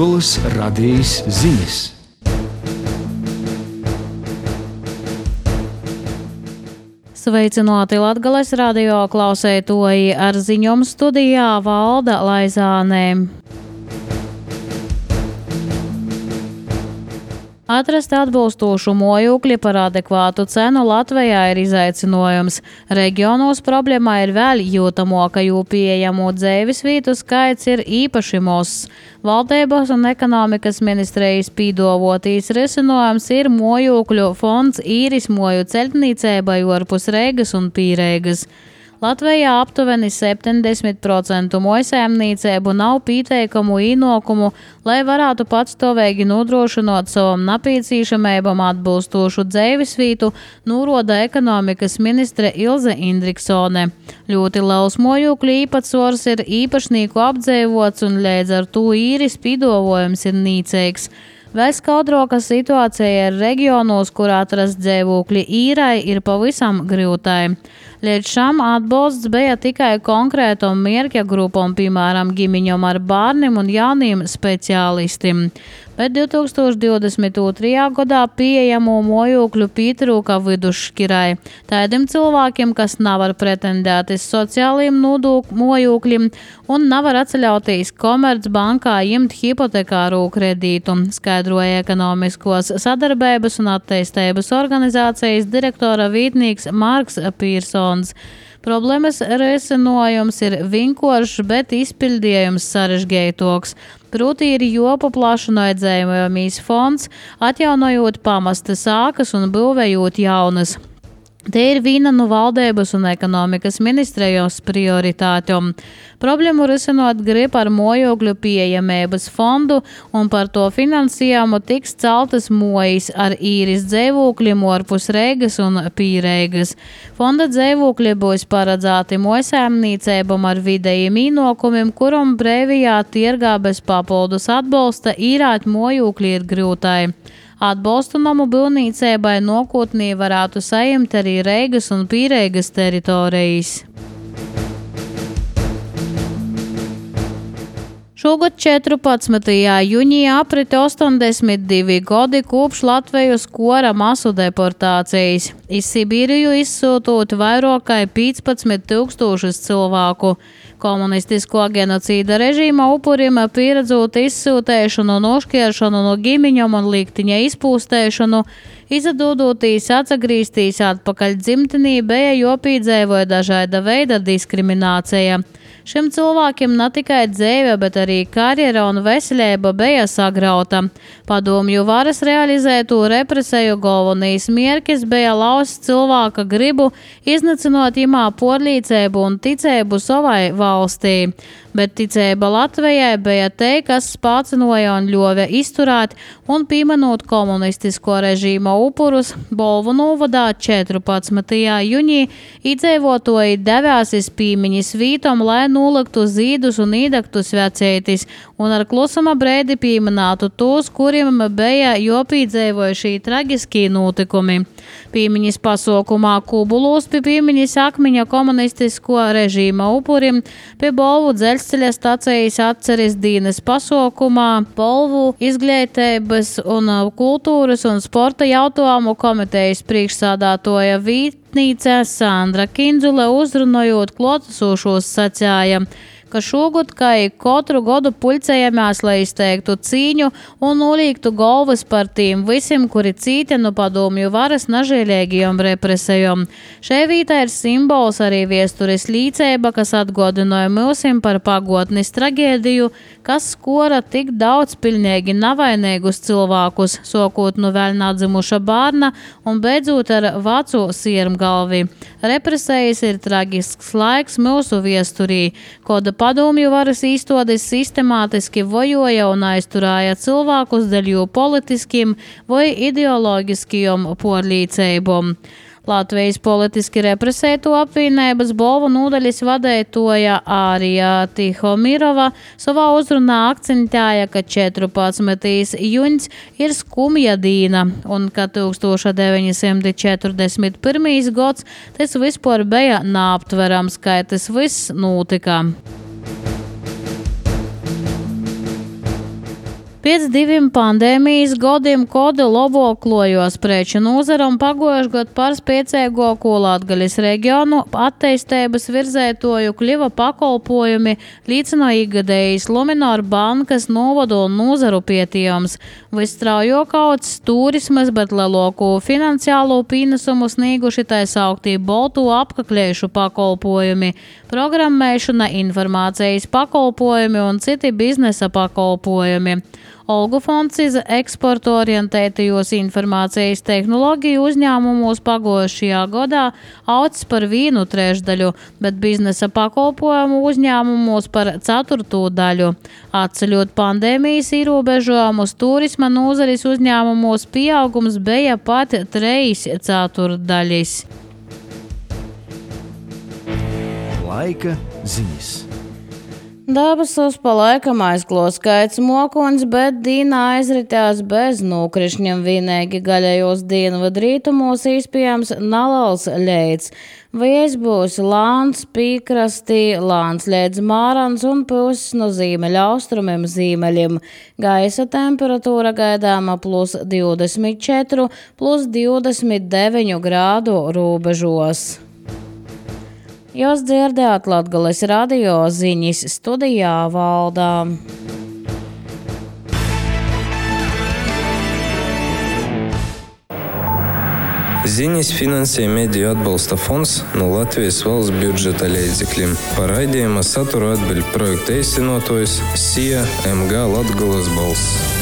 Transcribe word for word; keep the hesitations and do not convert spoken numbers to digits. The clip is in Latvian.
Latgolas radījis ziņas. Sveicināti Latgales radio klausētoji, ar ziņojumu studijā Valda Laizānē. Atrast atbilstošu mājokli par adekvātu cenu Latvijā ir izaicinājums. Reģionos problēma ir vēl jūtamāka, jo pieejamo dzīves vietu skaits ir īpaši mazs. Valdības un ekonomikas ministrijas pīdāvotīs risinājums ir mājokļu fonds īres māju celtniecībai ārpus Reigas un Pīreigas. Latvijā aptuveni septiņdesmit procenti mājsaimniecību nav pieteikumu ienākumu, lai varētu patstāvīgi nodrošināt savam nepieciešamībam atbilstošu dzīvesvietu, norāda ekonomikas ministre Ilze Indriksone. Ļoti liels mājokļu īpatsvars ir īpašnieku apdzīvots un līdz ar to īres piedāvājums ir nīcīgs. Vēl skaudroka situācija ir reģionos, kur atrast dzīvokļi īrai ir pavisam grūtai. Līdz šam atbalsts bija tikai konkrētam mērķa grupam, piemēram, ģimeņam ar bērniem un jauniem speciālistiem. Bet divi tūkstoši divdesmit otrajā gadā pieejamo mājokļu pietrūka vidusšķirai. Tādiem cilvēkiem, kas nevar pretendēt uz sociāliem nodokļu mājokļiem un nevar atļauties Komercbankā ņemt hipotekāru kredītu, skaidroja ekonomiskos sadarbības un attīstības organizācijas direktora vietnieks Marks Pīrsons. Problēmas risinājums ir vienkāršs, bet izpildījums sarežģītāks. Proti ir jāpaplašina dzējumais fonds, atjaunojot pamestas ēkas un būvējot jaunas. Te ir viena no valdības un ekonomikas ministrijas prioritātēm. Problēmu risinot grib ar mājokļu pieejamības fondu, un par to finansējumu tiks celtas mājas ar īres dzīvokļiem ārpus Reigas un Pīreigas. Fonda dzīvokļi būs paredzēti mājsaimniecībām ar vidējiem ienākumiem, kuram brīvajā tirgā bez papildus atbalsta īrēt mājokļi ir grūtai. Atbalstu namu būvniecībai nākotnē varētu saņemt arī Reigas un Pīreigas teritorijas. Šogad četrpadsmitajā jūnijā aprita astoņdesmit divi gadi kopš Latvijas kora masu deportācijas. Iz Sibīriju izsūtot vairāk kā piecpadsmit tūkstošus cilvēku. Komunistisko genocīda režīma upuriem pieredzot izsūtēšanu, nošķiršanu no ģimeņiem un likteņa izpūstēšanu, izdodoties atgriezties atpakaļ dzimtenī, bija jāpiedzīvo dažāda veida diskriminācija. Šiem cilvēkiem ne tikai dzīve, bet arī karjera un veselība bija sagrauta. Padomju varas realizēto represēju galvenais mērķis bija laust cilvēka gribu, iznīcinot imā porlīcību un ticību savai valstī. Bet ticība Latvijai bija te, kas spācinoja un ļova izturēt un pieminot komunistisko režīma upurus. Bolvu novadā četrpadsmitajā jūnijā iedzīvotāji devās iz piemiņas vītom, lai noliktu zīdus un iedegtu svecētis un ar klusuma brēdi pieminētu tos, kuriem bija jāpiedzīvoja šī traģiskie notikumi. Piemiņas pasaukumā Kubulos pie piemiņas akmeņa komunistisko režīma upurim, pie Bolvu dzelzceļa stacijas atceres dienas pasaukumā, Bolvu izglītības un kultūras un sporta jautājumu komitejas priekšsādātoja vietniece Sandra Kindzule uzrunājot klotusošos sacīja, ka šogad, kā katru gadu pulcējamies, lai izteiktu cīņu un nolīgtu galvas par tiem visiem, kuri cīti no padomju varas nažēlīgajām represijām. Šai vietā ir simbols arī viesturis līdzība, kas atgādināja mūsim par pagotnes tragēdiju, kas skora tik daudz pilnīgi navainīgus cilvēkus, sākot no vēl nedzimuša bērna un beidzot ar veco siermgalvi. Represijas ir traģisks laiks mūsu viesturī, koda padomju varas īstotis sistemātiski vojoja un aizturēja cilvēkus dēļ jū politiskiem vai ideoloģiskiem porlīcībām. Latvijas politiski represēto apvienības Bolvu nodaļas vadētoja Ārija Tihomirova savā uzrunā akcentēja, ka četrpadsmitais jūņs ir skumja dīna un ka tūkstoš deviņi simti četrdesmit pirmais gads tas vispār bija neaptverams, kā tas viss notika. Pēc diviem pandēmijas godiem kodu loboklojos preču nozara un pagojuši gadu par spiecēgoku Latgaļas reģionu attīstības virzētoju kļuva pakalpojumi līdz no ikgadējas Luminor bankas novodu un nozaru pietījums. Visstraujokauts turismas, bet lielāko finansiālo pienesumu snieguši tā sauktī boltu apkaklējušu pakalpojumi, programmēšana, informācijas pakalpojumi un citi biznesa pakalpojumi. Olgu fonds iz eksportu orientētajos informācijas tehnoloģiju uzņēmumos pagojušajā gadā aucis par vienu trešdaļu, bet biznesa pakalpojumu uzņēmumos par ceturto daļu. Atceļot pandēmijas ierobežojumus, turisma nozares uzņēmumos pieaugums bija pat trejas ceturtdaļas. Laika ziņas. Debesos pa laikam aizklos skaits mokoņs, bet dīna aizritās bez nokrišņiem vienīgi gaļējos dienvidu rītumos īspējams neliels leids. Vējs būs lāns pīkrastī, lāns leids mārans un puses no zīmeļa austrumiem zīmeļiem. Gaisa temperatūra gaidāma plus divdesmit četri, plus divdesmit deviņi grādu robežos. Jūs dzirdējāt Latgales radio ziņas, studijā Valdā. Ziņas finansē Mediju atbalsta fonds no Latvijas valsts budžeta līdzekļiem. Par raidījuma saturu atbild projekta īstenotājs S I A M G Latgales balss.